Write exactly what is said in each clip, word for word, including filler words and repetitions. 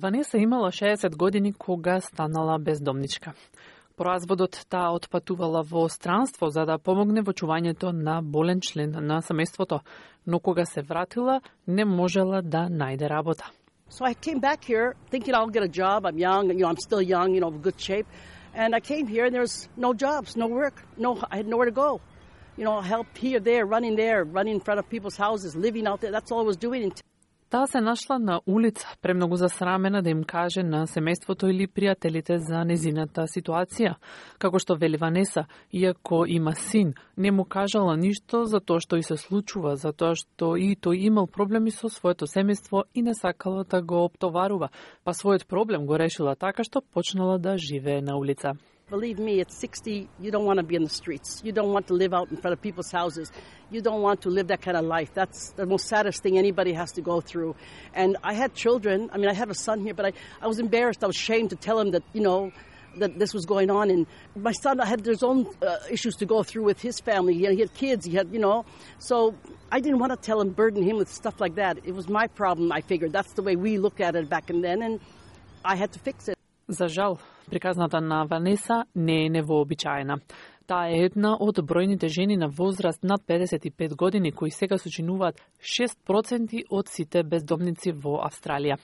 Ванеса имала шеесет години кога станала бездомничка. По разводот таа отпатувала во странство за да помогне во чувањето на болен член на семејството, но кога се вратила не можела да најде работа. So I came back here thinking I'll get a job. I'm young, you know, I'm still young, you know, good shape. And I came here and there's no jobs, no work, no, I had nowhere to go. You know, help here, there, running there, running in front of people's houses, living out there. That's all I was doing. Таа се нашла на улица, премногу засрамена да им каже на семејството или пријателите за незината ситуација. Како што вели Ванеса, иако има син, не му кажала ништо за тоа што и се случува, за тоа што и тој имал проблеми со своето семејство и не сакала да го оптоварува, па својот проблем го решила така што почнала да живее на улица. Believe me, at sixty, you don't want to be in the streets. You don't want to live out in front of people's houses. You don't want to live that kind of life. That's the most saddest thing anybody has to go through. And I had children. I mean, I have a son here, but I, I was embarrassed. I was ashamed to tell him that, you know, that this was going on. And my son had his own uh, issues to go through with his family. He had, he had kids. He had, you know. So I didn't want to tell him, burden him with stuff like that. It was my problem, I figured. That's the way we looked at it back then. And I had to fix it. За жал, приказната на Ванеса не е невообичаена. Таа е една од бројните жени на возраст над педесет и пет години кои сега сочинуваат шест проценти од сите бездомници во Австралија.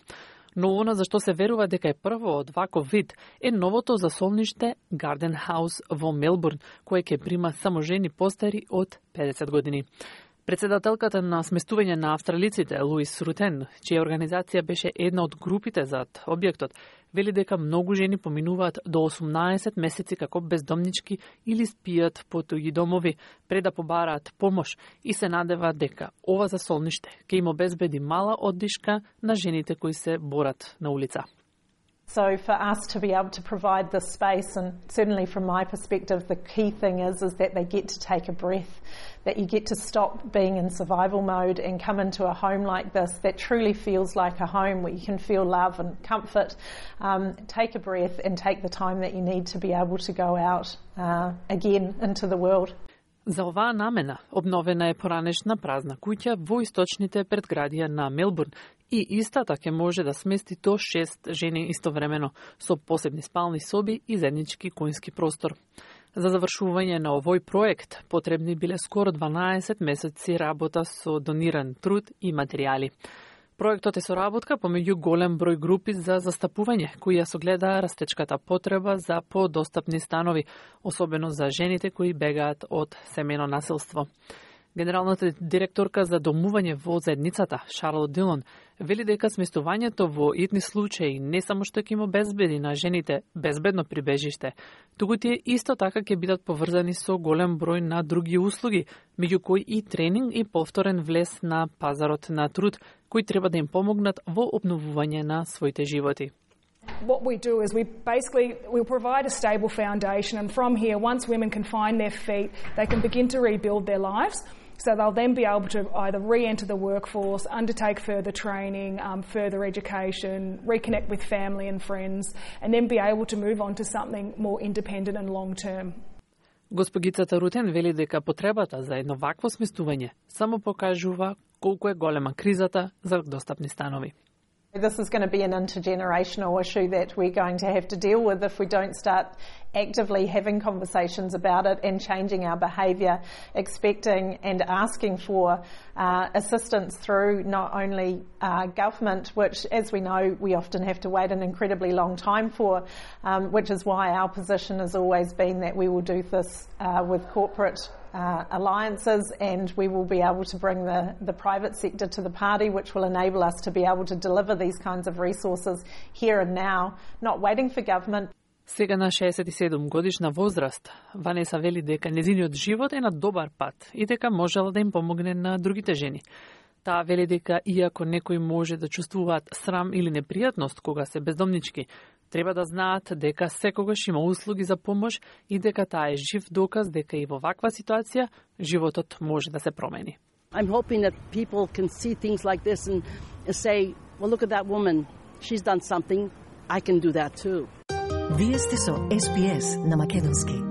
Но она за што се верува дека е прво од ваков вид е новото засолниште Garden House во Мелбурн, кое ќе прима само жени постари од педесет години. Председателката на сместување на австралиците, Луис Рутен, чија организација беше една од групите зад објектот, вели дека многу жени поминуваат до осумнаесет месеци како бездомнички или спијат по туѓи домови пред да побараат помош и се надеваат дека ова засолниште ќе им обезбеди мала оддишка на жените кои се борат на улица. So for us to be able to provide this space, and certainly from my perspective, the key thing is, is that they get to take a breath, that you get to stop being in survival mode and come into a home like this that truly feels like a home where you can feel love and comfort, um, take a breath and take the time that you need to be able to go out uh, again into the world. За оваа намена обновена е поранешна празна куќа во источните предградија на Мелбурн и истата ќе може да смести до шест жени истовремено со посебни спални соби и заеднички кујнски простор. За завршување на овој проект потребни биле скоро дванаесет месеци работа со дониран труд и материјали. Проектот е соработка помеѓу голем број групи за застапување, кои ја согледа растечката потреба за подостапни станови, особено за жените кои бегаат од семејно насилство. Генералната директорка за домување во заедницата, Шарлот Дилон, вели дека сместувањето во итни случаи не само што ќе им обезбеди на жените безбедно прибежиште, туку тие исто така ќе бидат поврзани со голем број на други услуги, меѓу кои и тренинг и повторен влез на пазарот на труд, кои треба да им помогнат во обновување на своите животи. What we do is we basically we'll provide a stable foundation, and from here, once women can find their feet, they can begin to rebuild their lives. So they'll then be able to either re-enter the workforce, undertake further training, um, further education, reconnect with family and friends, and then be able to move on to something more independent and long-term. Госпогицата Рутен вели дека потребата за едно вакво сместување само покажува колку е голема кризата за достапни станови. This is going to be an intergenerational issue that we're going to have to deal with if we don't start actively having conversations about it and changing our behaviour, expecting and asking for uh, assistance through not only uh, government, which, as we know, we often have to wait an incredibly long time for, um, which is why our position has always been that we will do this uh, with corporate Uh, alliances, and we will be able to bring the, the private sector to the party, which will enable us to be able to deliver these kinds of resources here and now, not waiting for government. Сега на шеесет и седум годишна возраст, Ванеса вели дека незиниот живот е на добар пат и дека можела да им помогне на другите жени. Таа вели дека иако некои може да чувствуваат срам или непријатност кога се бездомнички, треба да знаат дека секогаш има услуги за помош и дека таа е жив доказ дека и во ваква ситуација животот може да се промени. I'm hoping that people can see things like this and say, well, look at that woman. She's done something. I can do that too. Вие сте со Ес Би Ес на македонски.